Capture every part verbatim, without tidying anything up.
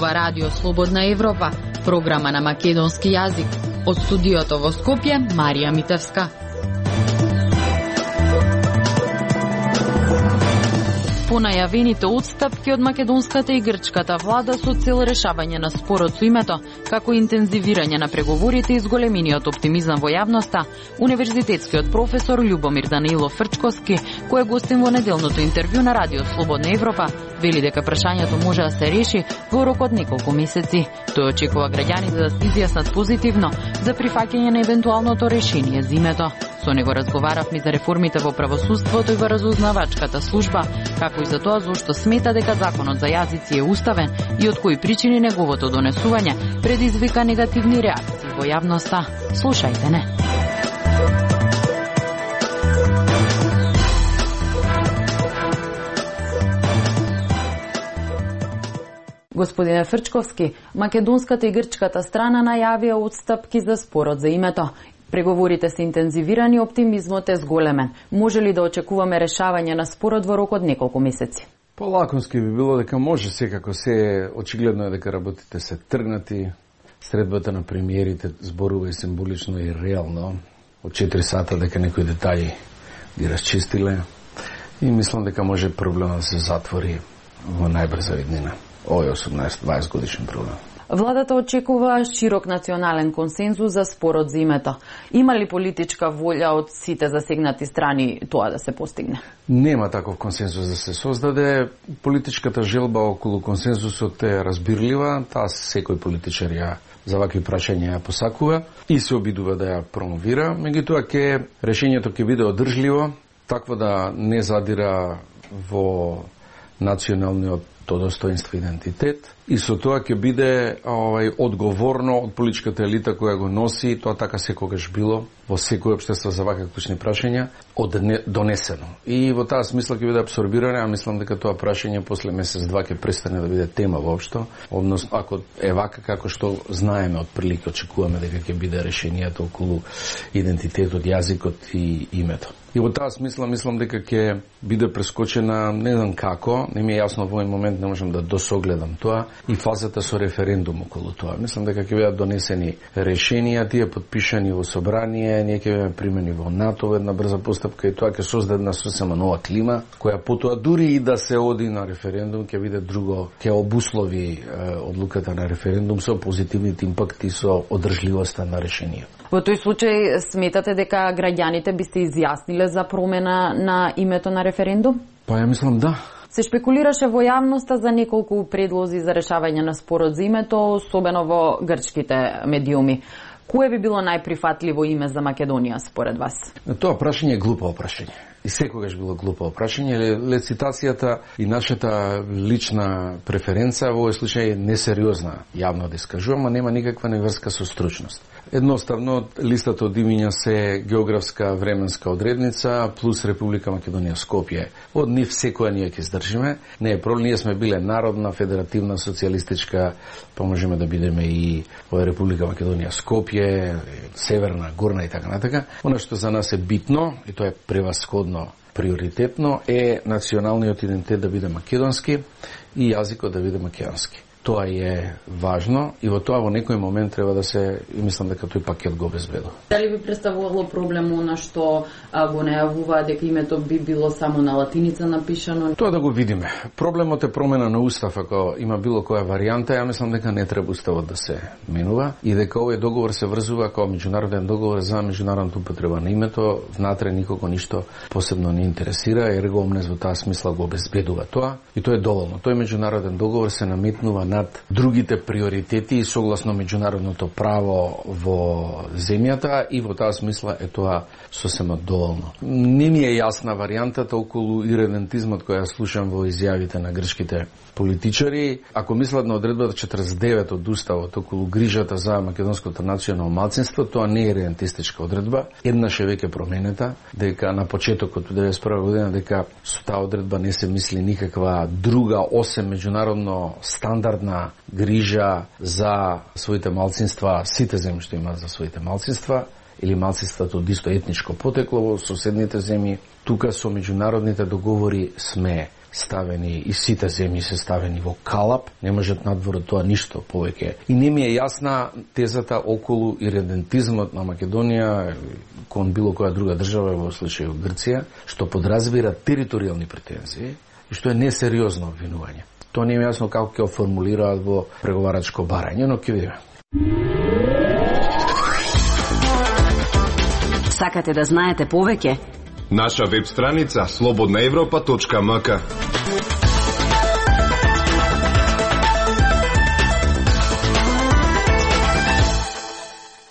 ова Радио Слободна Европа, програма на македонски јазик. Од студиото во Скопје, Марија Митевска. По најавените отстапки од македонската и грчката влада со цел решавање на спорот со името, како интензивирање на преговорите и зголемениот оптимизам во јавноста, универзитетскиот професор Љубомир Данилов Фрчковски, кој е гостин во неделното интервју на Радио Слободна Европа, вели дека прашањето може да се реши во рок од неколку месеци. Тој очекува граѓаните да се изјаснат позитивно за прифаќање на евентуалното решение за името. Со него разговаравме за реформите во правосудството и во разузнавачката служба, како и за тоа зошто смета дека законот за јазици е уставен и од кои причини неговото донесување предизвика негативни реакции во јавноста. Слушајте не. Господине Фрчковски, македонската и грчката страна најавија отстапки за спорот за името. Преговорите се интензивирани, оптимизмот е зголемен. Може ли да очекуваме решавање на спорот во рок од неколку месеци? Полаконски би било дека може, секако се очигледно е дека работите се тргнати. Средбата на премиерите зборува и символично и реално. Од четири сата дека некои детаļи ги расчистиле. И мислам дека може проблемот да се затвори во најбрза иднина. Овој осумнаесет-дваесет годишен проблем. Владата очекува широк национален консензус за спорот за името. Има ли политичка волја од сите засегнати страни тоа да се постигне? Нема таков консензус да се создаде. Политичката желба околу консензусот е разбирлива. Таа секој политичар ја за вакви прашања ја посакува и се обидува да ја промовира. Меѓутоа ќе решењето ќе биде одржливо, такво да не задира во националниот достоинство и идентитет, и со тоа ќе биде овај одговорно од политичката елита која го носи, тоа така секогаш било во секој општество за вакви клучни прашања, донесено. И во таа смисла ќе биде абсорбирано, а мислам дека тоа прашање после месец-два ќе престане да биде тема воопшто, односно ако е вака како што знаеме од прилика, очекуваме дека ќе биде решението околу идентитетот, јазикот и името. И во таа смисла мислам дека ќе биде прескочена, не знам како, не ми е јасно во овој момент, не можам да досогледам тоа, и фазата со референдум околу тоа. Мислам дека ќе бидат донесени решенија, тие подпишани во собрание, ние ќе бидеме примени во НАТО, една брза постапка и тоа ќе создаде една сосема нова клима, која потоа дури и да се оди на референдум, ќе биде друго, ќе обуслови е, одлуката на референдум со позитивните импакти, со одржливоста на решението. Во тој случај сметате дека граѓаните би се изјасниле за промена на името на референдум? Па ја мислам да. Се шпекулираше во јавноста за неколку предлози за решавање на спорот за името, особено во грчките медиуми. Кое би било најприфатливо име за Македонија според вас? Тоа прашање е глупо прашање. И секогаш било глупо прашање. Лецитацијата и нашата лична преференца во овој случај е несериозна, јавно да искажувам, а нема никаква неврска со стручност. Едноставно, листата од имиња се географска временска одредница плюс Република Македонија Скопје. Од нив секоја ние ќе издржиме. Не е проблем, ние сме биле народна, федеративна, социјалистичка, па можеме да бидеме и во Република Македонија Скопје, Северна, Горна и така натака. Она што за нас е битно, и тоа е превасходно приоритетно, е националниот идентитет да биде македонски и јазикот да биде македонски. Тоа е важно и во тоа во некој момент треба да се, и мислам дека тој пакет го обезбедува. Дали би представувало проблем на што а, го најавува дека името би било само на латиница напишано? Тоа да го видиме. Проблемот е промена на устав, ако има било која варијанта, ја мислам дека не треба уставот да се менува и дека овој договор се врзува како меѓународен договор за меѓународната употреба на името, внатре никого ништо посебно не интересира, ерго омнес во таа смисла го обезбедува тоа и тоа е доволно. Тој меѓународен договор се наметнува на над другите приоритети и согласно меѓународното право во земјата и во таа смисла е тоа сосема доволно. Не ми е јасна варијантата околу иредентизмот која слушам во изјавите на грчките политичари. Ако мислат на одредбата четрдесет и девет од Уставот околу грижата за македонското национално малцинство, тоа не е иредентистичка одредба. Еднаш е веќе променета, дека на почетокот од деветдесет и прва година дека со таа одредба не се мисли никаква друга осем меѓународно стандардна грижа за своите малцинства, сите земји што имаат за своите малцинства, или малцинството од исто етничко потекло во соседните земји. Тука со меѓународните договори сме ставени и сите земји се ставени во калап, не можат надвор од тоа ништо повеќе. И не ми е јасна тезата околу иридентизмот на Македонија кон било која друга држава, во случајот Грција, што подразбира територијални претензии и што е несериозно обвинување. Тоа не е јасно како ќе формулираат во преговарачко барање, но ќе видиме. Сакате да знаете повеќе? Наша веб страница слободна европа точка ем ка.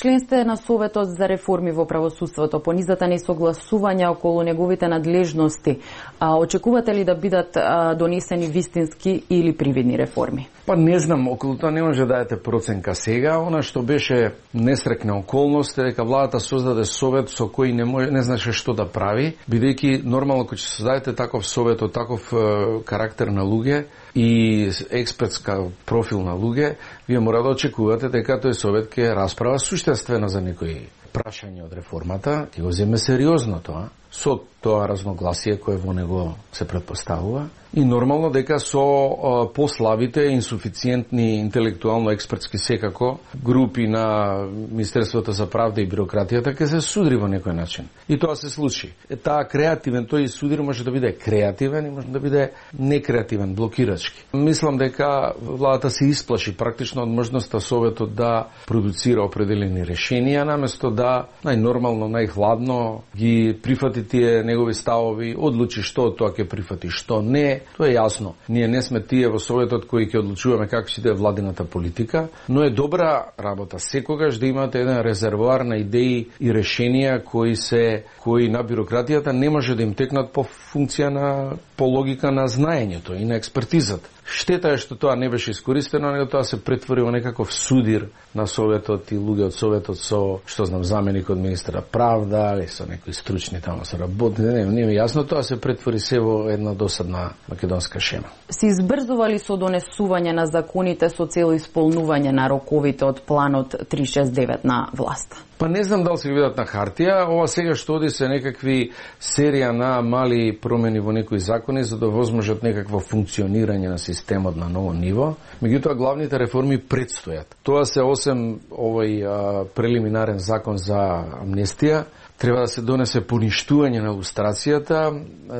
Член сте на Советот за реформи во правосудството. По низата несогласувања околу неговите надлежности, а очекувате ли да бидат а, донесени вистински или привидни реформи? Па не знам, околу тоа не може да дадете проценка сега. Она што беше несрекна околност е дека владата создаде совет со кој не може, не знаеше што да прави, бидејќи нормално кога ќе создадете таков совет од таков е, карактер на луѓе и експертска профил на луѓе, вие мора да очекувате дека тој совет ќе расправа суштествено за некои прашања од реформата, ќе го земе сериозно тоа, со тоа разногласие кое во него се предпоставува, и нормално дека со а, послабите, инсуфициентни, интелектуално експертски секако групи на Министерството за правда и бирократијата ќе се судри во некој начин. И тоа се случи. Е, таа креативен, тој судир може да биде креативен и може да биде некреативен, блокирачки. Мислам дека владата се исплаши практично од можноста Советот да продуцира определени решенија, наместо да најнормално, најхладно ги прифати тие негови ставови, одлучи што од тоа ќе прифати, што не. Тоа е јасно. Ние не сме тие во Советот кои ќе одлучуваме како ќе иде владината политика, но е добра работа секогаш да имате еден резервоар на идеи и решенија кои се кои на бирократијата не може да им текнат по функција на по логика на знаењето и на експертизата. Штета е што тоа не беше искористено, него тоа се претвори во некаков судир на Советот и луѓе од Советот со, што знам, заменик од министра правда или со некои стручни таму со работни, не, не ми јасно, тоа се претвори се во една досадна македонска шема. Се избрзували со донесување на законите со цел исполнување на роковите од планот триста шесет девет на власта? Па не знам дали се ги видат на хартија, ова сега што оди се некакви серија на мали промени во некои закони за да возможат некакво функционирање на системот на ново ниво. Меѓутоа главните реформи предстојат. Тоа се осем овој а, прелиминарен закон за амнестија, треба да се донесе поништување на лустрацијата.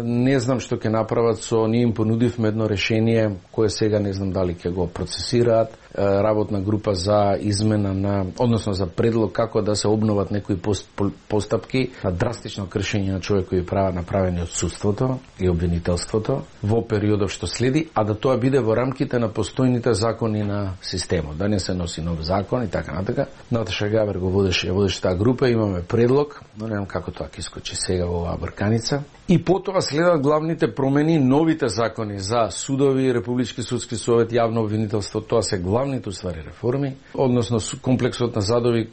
Не знам што ќе направат со ние им понудивме едно решение кое сега не знам дали ќе го процесираат, работна група за измена на, односно за предлог како да се обноват некои пост, постапки на драстично кршење на човекови права направени од судството и обвинителството во периодов што следи, а да тоа биде во рамките на постојните закони на системот, да не се носи нов закон и така натака. Наташа Габер го водеше, водеше таа група, имаме предлог, но не знам како тоа ќе искочи сега во оваа брканица. И потоа следат главните промени, новите закони за судови, Републички судски совет, јавно обвинителство, тоа се главните уствари реформи, односно комплексот на задови,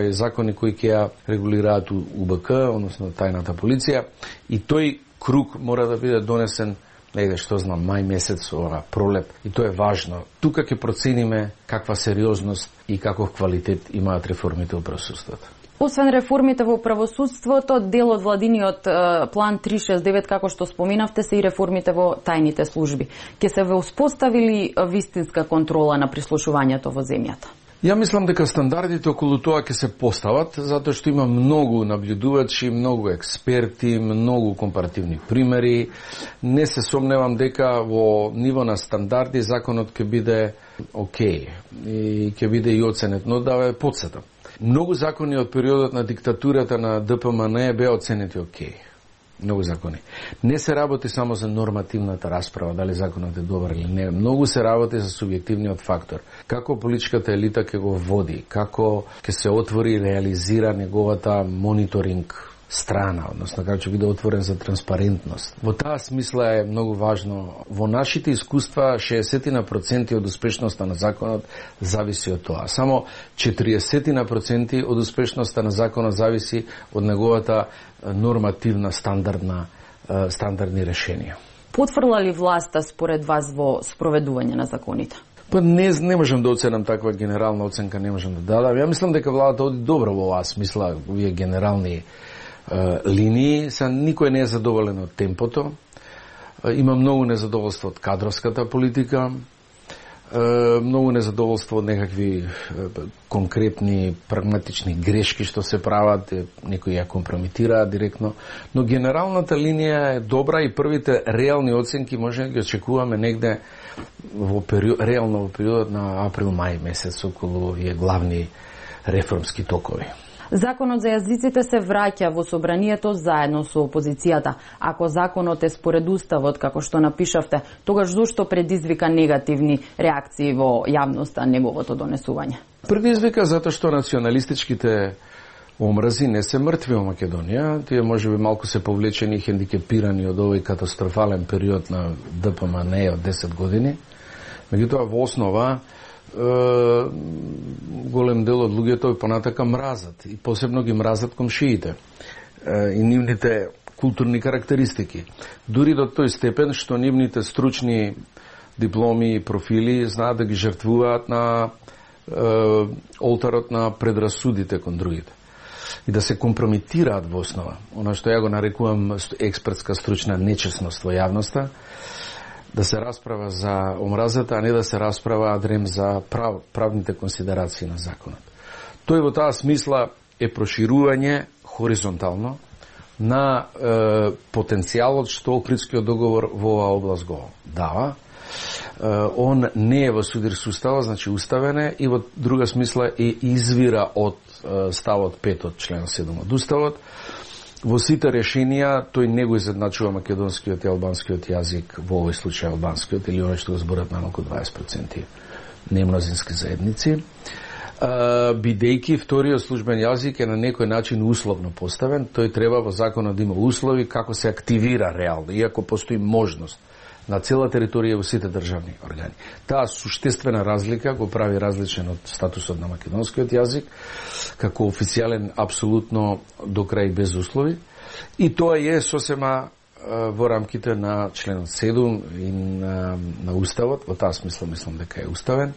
закони кои ќе ја регулираат У Б К, односно тајната полиција, и тој круг мора да биде донесен негде, што знам, мај месец, ова пролет, и тоа е важно. Тука ќе процениме каква сериозност и каков квалитет имаат реформите во правосудството. Освен реформите во правосудството, дел од владиниот е, план триста шесет девет, како што споминавте, се и реформите во тајните служби. Ке се ве успоставили вистинска контрола на прислушувањето во земјата? Ја мислам дека стандардите околу тоа ќе се постават, затоа што има многу наблюдувачи, многу експерти, многу компаративни примери. Не се сомневам дека во ниво на стандарди законот ќе биде окей и ќе биде и оценет, но да ве потсетам. Многу закони од периодот на диктатурата на Д П М Н беа оценети окей. Многу закони. Не се работи само за нормативната расправа, дали законот е добар или не. Многу се работи за субјективниот фактор. Како политичката елита ќе го води, како ќе се отвори и реализира неговата мониторинг страна, односно како ќе биде отворен за транспарентност. Во таа смисла е многу важно. Во нашите искуства шеесет проценти од успешноста на законот зависи од тоа. Само четиридесет проценти од успешноста на законот зависи од неговата нормативна стандардна стандардни решенија. Потврла ли власта според вас во спроведување на законите? Па не, не можам да оценам таква генерална оценка, не можам да дадам. Ја мислам дека владата оди добро во оваа смисла, овие генерални линии, са никој не е задоволен од темпото. Има многу незадоволство од кадровската политика, многу незадоволство од некакви конкретни, прагматични грешки што се прават, некои ја компрометираат директно, но генералната линија е добра и првите реални оценки може да ги очекуваме негде во период, реално во периодот на април-мај месец околу овие главни реформски токови. Законот за јазиците се враќа во собранието заедно со опозицијата. Ако законот е според уставот, како што напишавте, тогаш зошто предизвика негативни реакции во јавноста неговото донесување? Предизвика затоа што националистичките омрази не се мртви во Македонија. Тие можеби малку се повлечени и хендикепирани од овој катастрофален период на Д П М Н од десет години. Меѓутоа во основа голем дел од луѓето понатака мразат и посебно ги мразат комшиите и нивните културни карактеристики. Дури до тој степен што нивните стручни дипломи и профили знаат да ги жртвуваат на е, олтарот на предрасудите кон другите и да се компрометираат во основа. Она што ја го нарекувам експертска стручна нечесност во јавноста, да се расправа за омразата, а не да се расправа адрем за прав, правните консидерации на законот. Тој во таа смисла е проширување хоризонтално на е, потенцијалот што Охридскиот договор во оваа област го дава. Е, он не е во судир со уставот, значи уставен е, и во друга смисла е извира од е, ставот пет од член седум од уставот. Во сите решенија тој не го изедначува македонскиот и албанскиот јазик, во овој случај албанскиот, или оној што го зборат најмалку дваесет проценти немнозински заедници. Бидејќи вториот службен јазик е на некој начин условно поставен, тој треба во законот да има услови како се активира реално, иако постои можност на цела територија во сите државни органи. Таа суштествена разлика го прави различен од статусот на македонскиот јазик, како официјален апсолутно до крај без услови, и тоа е сосема во рамките на членот седум и на, на уставот. Во таа смисла мислам дека е уставен.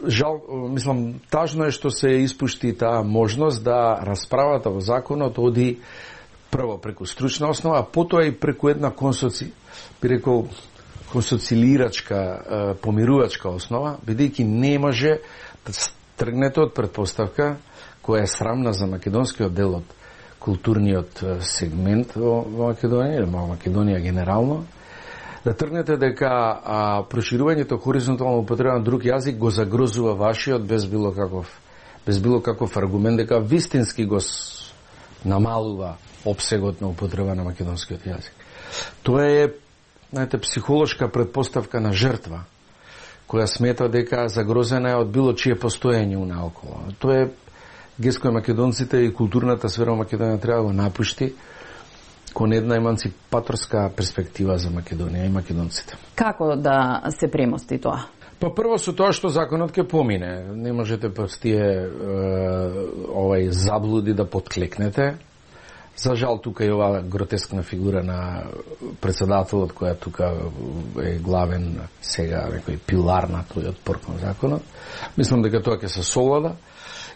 Жал, мислам, тажно е што се испушти таа можност да расправата во законот оди прво преку стручна основа, а потоа и преку една консоци, би рекол, консоцилирачка, помирувачка основа, бидејќи не може да тргнете од предпоставка која е срамна за македонскиот дел од културниот сегмент во Македонија, или во Македонија генерално, да тргнете дека а, проширувањето хоризонтално употреба на друг јазик го загрозува вашиот без било каков, без било каков аргумент, дека вистински го намалува опсегот на употреба на македонскиот јазик. Тоа е, знаете, психолошка предпоставка на жртва, која смета дека загрозена е од било чие постоење унаоколу. Тоа е гест кој македонците и културната сфера во Македонија треба да го напушти кон една еманципаторска перспектива за Македонија и македонците. Како да се премости тоа? Па прво со тоа што законот ќе помине. Не можете па тие е, овај заблуди да подклекнете. За жал тука е оваа гротескна фигура на председателот која тука е главен сега некој пилар на тој отпор кон законот. Мислам дека тоа ќе се совлада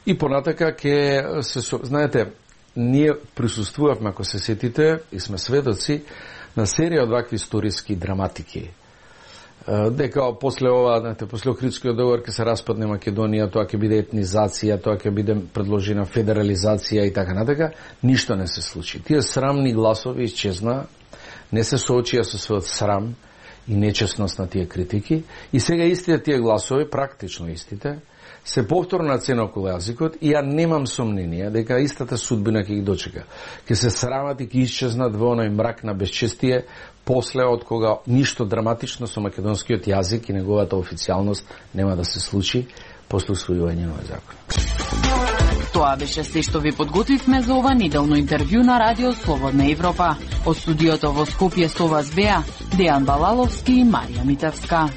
и понатака ќе се со... знаете, ние присуствувавме, ако се сетите, и сме сведоци на серија од вакви историски драматики. Дека после ова, знаете, после Охридскиот договор ќе се распадне Македонија, тоа ќе биде етнизација, тоа ќе биде предложена федерализација и така натака, ништо не се случи. Тие срамни гласови исчезна, не се соочија со својот срам и нечесност на тие критики, и сега истите тие гласови, практично истите, се повторно нацена околу јазикот, и ја немам сомнение дека истата судбина ќе ги дочека. Ќе се срамат и ќе исчезнат во оној мрак на безчестие после од кога ништо драматично со македонскиот јазик и неговата официјалност нема да се случи после усвојување на овој закон. Тоа беше се што ви подготвивме за ова неделно интервју на Радио Слободна Европа. Од студиото во Скопје со вас беа Дејан Балаловски и Марија Митевска.